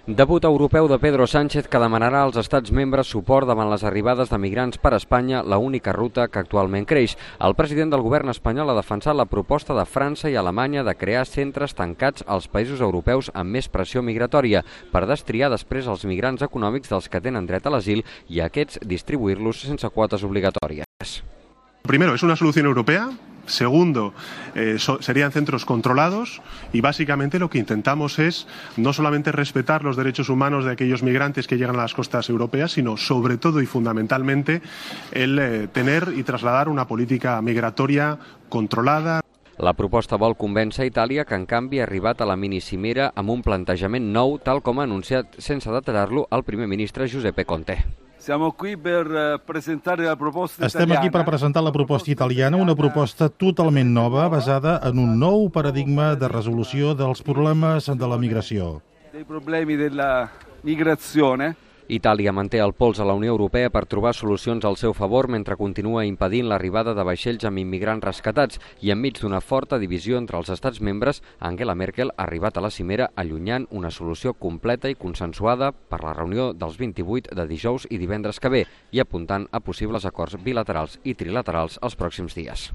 Debut europeu de Pedro Sánchez que demanarà als estats membres suport davant les arribades de migrants per Espanya, l'única ruta que actualment creix. El president del govern espanyol ha defensat la proposta de França i Alemanya de crear centres tancats als països europeus amb més pressió migratòria per destriar després els migrants econòmics dels que tenen dret a l'asil i a aquests distribuir-los sense quotes obligatòries. Primero, es una solución europea. Segundo, serían centros controlados y básicamente lo que intentamos es no solamente respetar los derechos humanos de aquellos migrantes que llegan a las costas europeas, sino sobre todo y fundamentalmente el tener y trasladar una política migratoria controlada. La proposta vol convèncer Itàlia, que en canvi ha arribat a la minicimera amb un plantejament nou, tal com ha anunciat sense detallar-lo el primer ministre Giuseppe Conte. Estem aquí per presentar la proposta italiana, una proposta totalment nova, basada en un nou paradigma de resolució dels problemes de la migració. Dei problemi della migrazione. Itàlia manté el pols a la Unió Europea per trobar solucions al seu favor mentre continua impedint l'arribada de vaixells amb immigrants rescatats i enmig d'una forta divisió entre els estats membres, Angela Merkel ha arribat a la cimera allunyant una solució completa i consensuada per la reunió dels 28 de dijous i divendres que ve i apuntant a possibles acords bilaterals i trilaterals els pròxims dies.